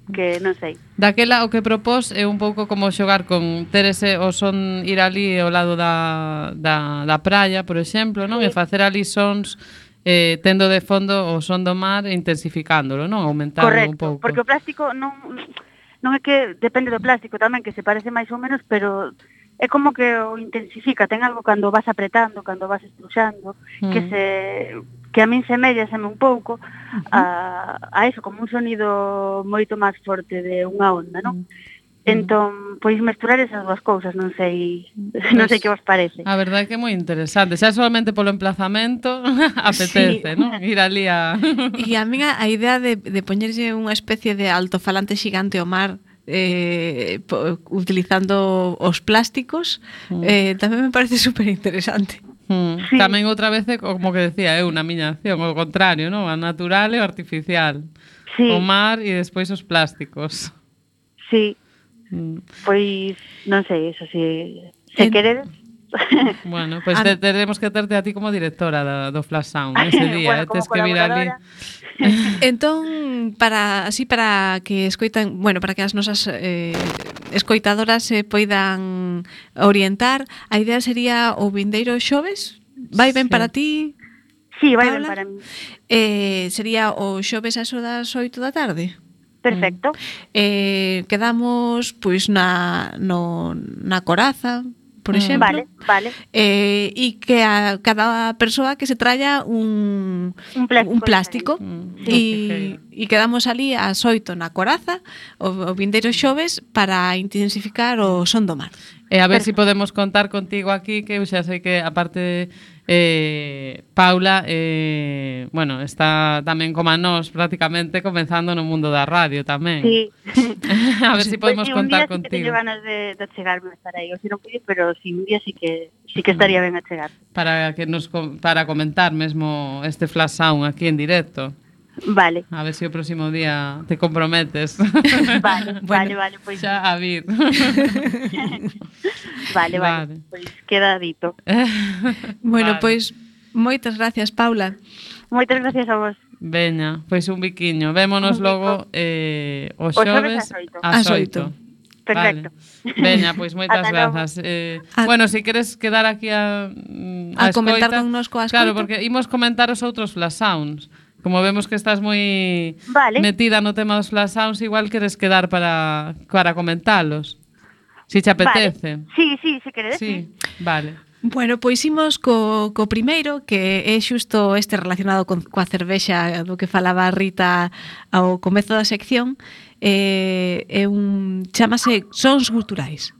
[SPEAKER 8] que non sei.
[SPEAKER 2] Daquela o que propós é un pouco como xogar con ter ese o son ir ali ao lado da, da, da praia, por exemplo, non? Sí. E facer ali sons eh, tendo de fondo o son do mar e intensificándolo, non? Aumentando
[SPEAKER 8] Correcto,
[SPEAKER 2] un pouco.
[SPEAKER 8] Porque o plástico non, non é que depende do plástico tamén, que se parece máis ou menos, pero é como que o intensifica, ten algo cando vas apretando, cando vas estruxando, mm. que se que a min semellaseme un pouco uh-huh. a, a eso, como un sonido moito máis forte de unha onda, non? Mm. Entón, pois mesturar esas dúas cousas, non sei, pues, non sei que vos parece.
[SPEAKER 2] A verdade é que é moi interesante, xa solamente polo emplazamento apetece, sí. non? Ir ali a...
[SPEAKER 3] E a min a idea de, de poñerse unha especie de altofalante xigante ao mar eh, po, utilizando os plásticos mm. eh, tamén me parece super interesante.
[SPEAKER 2] Mm. Sí. Tamén outra vez, como que decía eu, na miña acción, o contrario, non? A natural e o artificial. Sí. O mar e despois os plásticos.
[SPEAKER 8] Sí. Mm. Pois, non sei, eso si se en... queredes.
[SPEAKER 2] Bueno, pois pues te, teremos que terte a ti como directora do, do Flash Sound ese día, bueno, eh, tes que vir ali.
[SPEAKER 3] Entón, para así para que escoitan, bueno, para que as nosas eh, escoitadoras se poidan orientar, a idea sería o vindeiro xoves? Vai ben sí. para ti?
[SPEAKER 8] Sí, vai ben para mí.
[SPEAKER 3] Eh, sería o xoves a eso das oito da tarde?
[SPEAKER 8] Perfecto.
[SPEAKER 3] Eh, quedamos pois na no na Coraza, por exemplo.
[SPEAKER 8] Vale, vale.
[SPEAKER 3] Eh, e que a cada persoa que se tralla un
[SPEAKER 8] un plástico,
[SPEAKER 3] un plástico
[SPEAKER 8] mm,
[SPEAKER 3] e sí. quedamos ali ás oito na Coraza, o, o vindeiro xoves para intensificar o son do mar.
[SPEAKER 2] E a ver se si podemos contar contigo aquí, que eu xa sei que aparte eh, Paula eh, bueno, está tamén como a nós prácticamente comenzando no mundo da radio tamén.
[SPEAKER 8] Sí.
[SPEAKER 2] A ver se si podemos
[SPEAKER 8] pues,
[SPEAKER 2] contar
[SPEAKER 8] contigo. Un día sí que
[SPEAKER 2] contigo.
[SPEAKER 8] teño ganas de, de chegarme a estar aí, ou se non pude, pero sí, un día sí que sí que estaría ben a chegar.
[SPEAKER 2] Para que nos para comentar mesmo este Flash Sound aquí en directo.
[SPEAKER 8] Vale.
[SPEAKER 2] A ver se o próximo día te comprometes.
[SPEAKER 8] Vale, vale, vale, pois.
[SPEAKER 2] Xa a vir.
[SPEAKER 8] Vale, vale,
[SPEAKER 2] Vale.
[SPEAKER 8] pois queda dito.
[SPEAKER 3] Bueno,
[SPEAKER 2] Vale.
[SPEAKER 3] pois moitas gracias, Paula.
[SPEAKER 8] Moitas gracias a vos.
[SPEAKER 2] Veña, pois un biquiño. Vémonos
[SPEAKER 8] Un bico.
[SPEAKER 2] logo eh, o
[SPEAKER 8] O xoves
[SPEAKER 2] xoves
[SPEAKER 8] ás oito.
[SPEAKER 2] ás
[SPEAKER 3] Ás
[SPEAKER 2] oito.
[SPEAKER 3] oito.
[SPEAKER 8] Perfecto.
[SPEAKER 2] Vale. Veña, pois moitas
[SPEAKER 8] Ata logo.
[SPEAKER 2] grazas. Eh,
[SPEAKER 3] A-
[SPEAKER 2] bueno, se si queres quedar aquí a mm,
[SPEAKER 3] A comentar
[SPEAKER 2] escoita,
[SPEAKER 3] connosco a
[SPEAKER 2] claro,
[SPEAKER 3] escoita.
[SPEAKER 2] porque imos comentar os outros flash sounds. Como vemos que estás moi
[SPEAKER 8] Vale.
[SPEAKER 2] metida no tema dos flash sounds, igual queres quedar para para comentalos. Si te apetece.
[SPEAKER 8] Vale. Sí, sí, se queredes.
[SPEAKER 2] Sí, vale.
[SPEAKER 3] Bueno, pois imos co, co primeiro, que é xusto este relacionado con, coa cervexa do que falaba Rita ao comezo da sección. Eh, é un chamase Sons Guturais.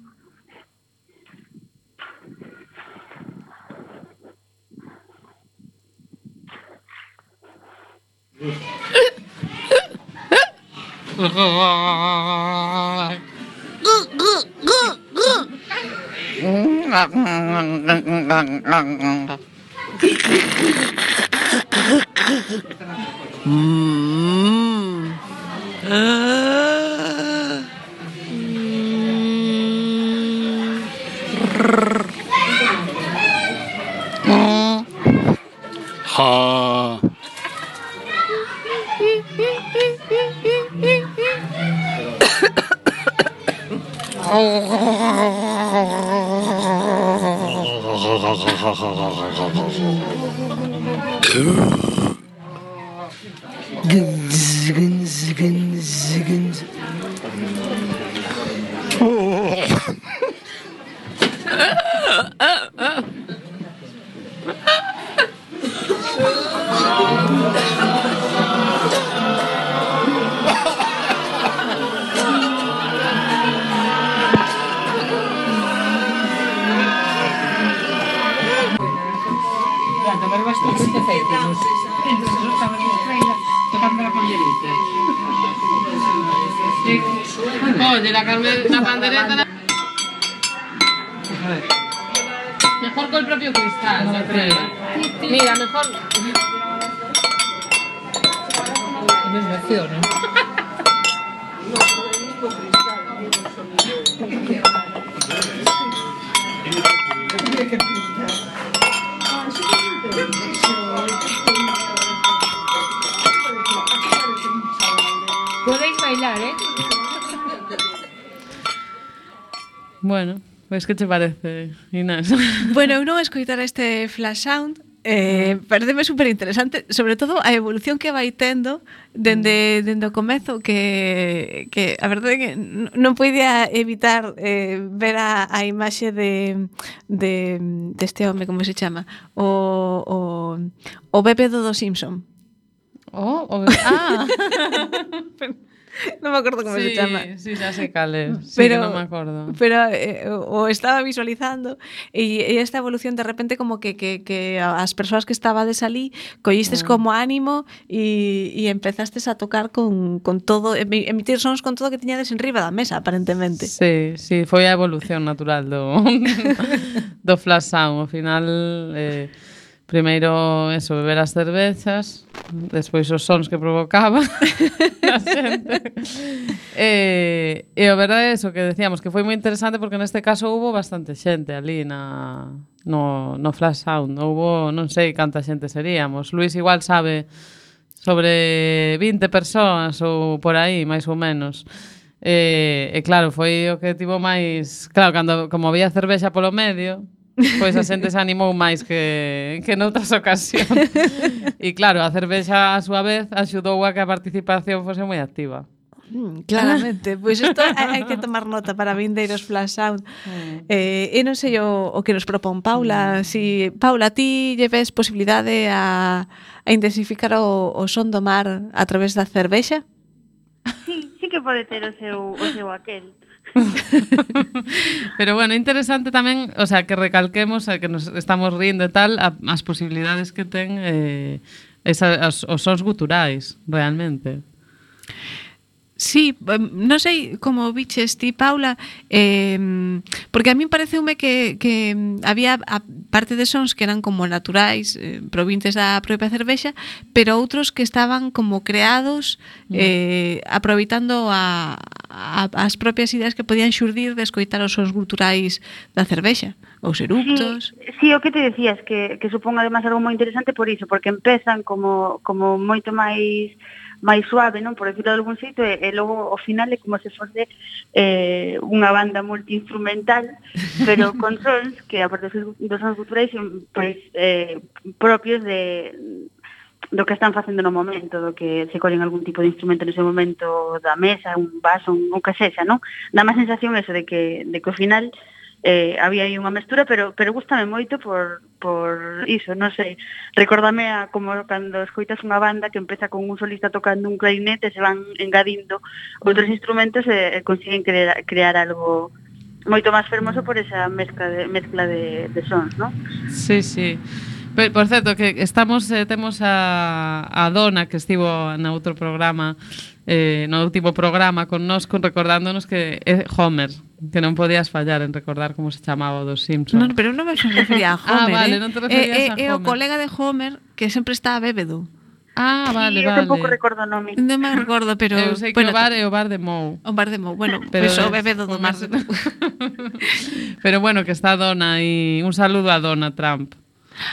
[SPEAKER 9] Ha.
[SPEAKER 2] Oye, la, carme- la pandereta... La... Mejor con el propio cristal, yo creo. Mira, mejor... Desversión, ¿no?
[SPEAKER 4] Podéis bailar, ¿eh?
[SPEAKER 2] Bueno, pues que te parece, Inés?
[SPEAKER 3] Bueno, eu non escoitar este flash sound, eh, pareceme super interesante, sobre todo a evolución que vai tendo dende, dende o comezo, que, que a verdade é que n- non podía evitar eh, ver a, a imaxe de, de deste home, como se chama, o, o, o bebé do dos Simpson.
[SPEAKER 2] Oh, o... ah,
[SPEAKER 3] Non me acordo como
[SPEAKER 2] sí,
[SPEAKER 3] se chama.
[SPEAKER 2] sí, ya sé cal es. Sí,
[SPEAKER 3] Pero,
[SPEAKER 2] que no me acuerdo.
[SPEAKER 3] pero eh, o estaba visualizando e, e esta evolución de repente como que, que, que as persoas que estabades ali collistes
[SPEAKER 2] Mm.
[SPEAKER 3] como ánimo e, e empezastes a tocar con, con todo, emi- emitir sons con todo que tiñades en riba da mesa, aparentemente.
[SPEAKER 2] Sí, sí, foi a evolución natural do, do flash sound. Ao final, eh, primeiro, eso, beber as cervezas, despois os sons que provocaba a xente. E, e a verdade é eso que decíamos, que foi moi interesante porque neste caso hubo bastante xente ali na, no, no flash sound. Hubo, non sei canta xente seríamos. Luis igual sabe sobre vinte persoas ou por aí, máis ou menos. E, e claro, foi o que tivo máis... Claro, cando, como había cervexa polo medio, pois a xente se animou máis que, que noutras ocasións. E claro, a cervexa a súa vez axudou a que a participación fose moi activa.
[SPEAKER 3] Mm, claramente, pois isto hai, hai que tomar nota para vindeiros flash sound. Eh, e non sei o, o que nos propón Paula, si Paula, ti lle ves posibilidade a, a intensificar o, o son do mar a través da cervexa?
[SPEAKER 8] Sí, sí que pode ter o seu, o seu aquel.
[SPEAKER 2] Pero bueno, interesante tamén, o sea, que recalquemos eh, que nos estamos rindo e tal, a, as posibilidades que ten eh, esa, as, os sons guturais, realmente.
[SPEAKER 3] Sí, non sei como biches ti, Paula, eh, porque a mí pareceume que, que había a parte de sons que eran como naturais, eh, provintes da propia cervexa, pero outros que estaban como creados eh, aproveitando a, a, as propias ideas que podían xurdir de escoitar os sons guturais da cervexa, os eructos.
[SPEAKER 8] Sí, sí, o que te decías, que, que supón además algo moi interesante por iso, porque empezan como, como moito máis máis suave, non, por decirlo de algún xeito, e, e logo ao final é como se fose eh, unha banda multiinstrumental, pero con sons que, aparte dos sons culturais, pois, eh, propios de do que están facendo no momento, do que se collen algún tipo de instrumento nese momento da mesa, un vaso, un, un que sexa, non? Dá má sensación eso de que, de que ao final eh, había aí unha mestura, pero pero gústame moito por, por iso, non sei, recórdame a como cando escoitas unha banda que empeza con un solista tocando un clarinete e se van engadindo outros instrumentos e, e consiguen crear, crear algo moito máis fermoso por esa mezcla de, mezcla de, de sons, non?
[SPEAKER 2] Sí, sí. Por, por certo, que estamos eh, temos a, a Dona que estivo no outro programa, eh, no último programa con nós, con recordándonos que é Homer, que non podías fallar en recordar como se chamaba o dos Simpsons.
[SPEAKER 3] Non, pero non me refería a Homer,
[SPEAKER 2] ah, vale,
[SPEAKER 3] eh?
[SPEAKER 2] non te referías
[SPEAKER 3] eh,
[SPEAKER 2] a
[SPEAKER 3] eh,
[SPEAKER 2] Homer.
[SPEAKER 3] É o colega de Homer que sempre está bébedo.
[SPEAKER 2] Ah, vale,
[SPEAKER 8] sí,
[SPEAKER 2] vale.
[SPEAKER 8] Eu tampouco recordo o nome.
[SPEAKER 3] Non me recordo, pero...
[SPEAKER 2] Eu sei que
[SPEAKER 3] bueno,
[SPEAKER 2] o bar é o bar de Mou.
[SPEAKER 3] O bar de Mou, bueno,
[SPEAKER 2] pero
[SPEAKER 3] pois pues o bébedo do mar de Mou.
[SPEAKER 2] Pero bueno, que está Dona e un saludo a Dona Trump.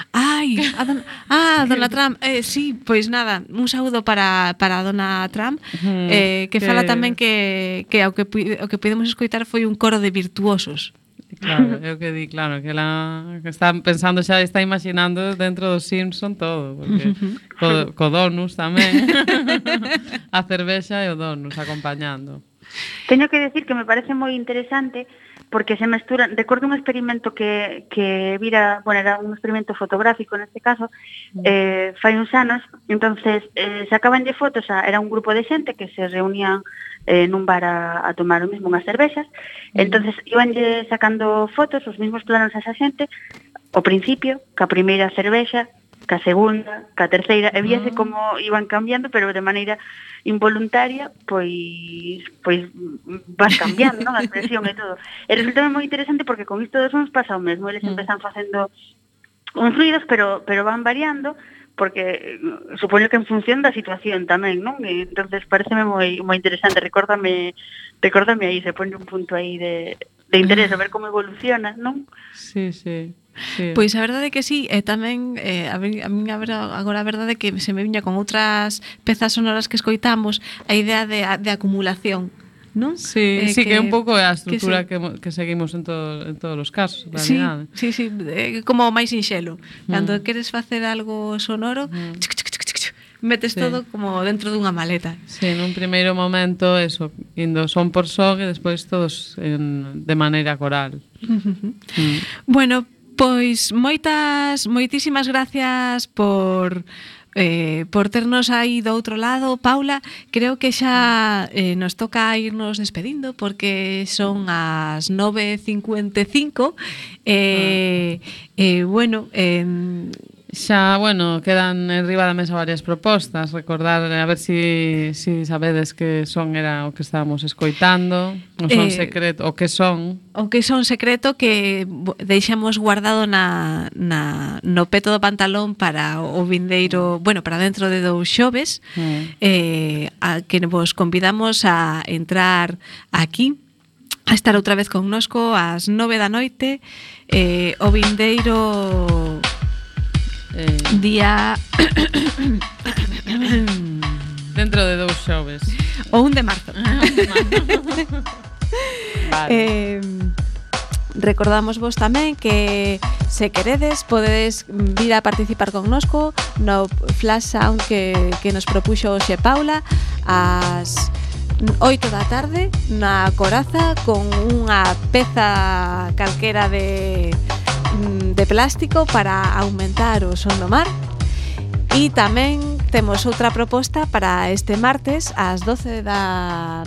[SPEAKER 3] Ai, a don, ah, Dona Trump, eh, sí, pois nada, un saúdo para, para a Dona Trump, mm, eh, que, que fala tamén que, que o que o que podemos escoitar foi un coro de virtuosos.
[SPEAKER 2] Claro, eu que di, claro, que ela que está pensando xa, está imaginando dentro do Simpson todo, porque co, co Donus tamén, a cervexa e o Donus acompañando.
[SPEAKER 8] Teño que decir que me parece moi interesante porque se mesturan, recordo un experimento que, que vira, bueno, era un experimento fotográfico neste caso, eh, fai uns anos, entonces eh, sacaban de fotos, a, era un grupo de xente que se reunían eh, nun bar a, a tomar o mismo unhas cervexas, entonces iban sacando fotos, os mismos planos a esa xente, ao principio, ca primeira cervexa, ca segunda, ca terceira, e víase como iban cambiando, pero de maneira involuntaria, pois pois vas cambiando, non? A expresión e todo. E resulta moi interesante porque con isto dos sons pasa o mesmo, eles empezan facendo uns ruidos, pero pero van variando, porque supoño que en función da situación tamén, non? E entonces pareceme moi moi interesante, recórdame recórdame aí, se pone un punto aí de de interés a ver como evoluciona, non?
[SPEAKER 2] Sí, sí. Sí.
[SPEAKER 3] Pois a verdade é que sí, e tamén eh, a mí, a mí agora a verdade é que se me viña con outras pezas sonoras que escoitamos a idea de, de acumulación, non?
[SPEAKER 2] Sí, eh, sí que, que un pouco é a estrutura que,
[SPEAKER 3] que,
[SPEAKER 2] que, que seguimos en, todo, en todos os casos, en
[SPEAKER 3] sí,
[SPEAKER 2] realidade.
[SPEAKER 3] Sí, sí, é como máis sinxelo. Cando mm. queres facer algo sonoro, mm. chic, chic, chic, chic, metes sí. todo como dentro dunha maleta.
[SPEAKER 2] Sí, nun primeiro momento eso, indo son por son e despois todos en, de maneira coral.
[SPEAKER 3] Uh-huh. mm. Bueno, pois moitas, moitísimas gracias por eh, por ternos aí do outro lado. Paula, creo que xa eh, nos toca irnos despedindo porque son as nove e cincuenta e cinco e eh, eh, bueno, eh,
[SPEAKER 2] xa, bueno, quedan en riba da mesa varias propostas. Recordar, a ver si, si sabedes que son era o que estábamos escoitando, o son eh, secreto, o que son.
[SPEAKER 3] O que son secreto que deixamos guardado na, na, no peto do pantalón para o vindeiro, bueno, para dentro de dous xoves, mm. eh, a que vos convidamos a entrar aquí, a estar outra vez connosco ás nove da noite, eh, o vindeiro...
[SPEAKER 2] Eh,
[SPEAKER 3] día
[SPEAKER 2] dentro de dous xoves
[SPEAKER 3] ou un de marzo.
[SPEAKER 2] Vale.
[SPEAKER 3] eh, recordamos vos tamén que se queredes podedes vir a participar connosco no Flash Sound que, que nos propuxo hoxe Paula ás oito da tarde na Coraza con unha peza calquera de de plástico para aumentar o son do mar. E tamén temos outra proposta para este martes ás doce da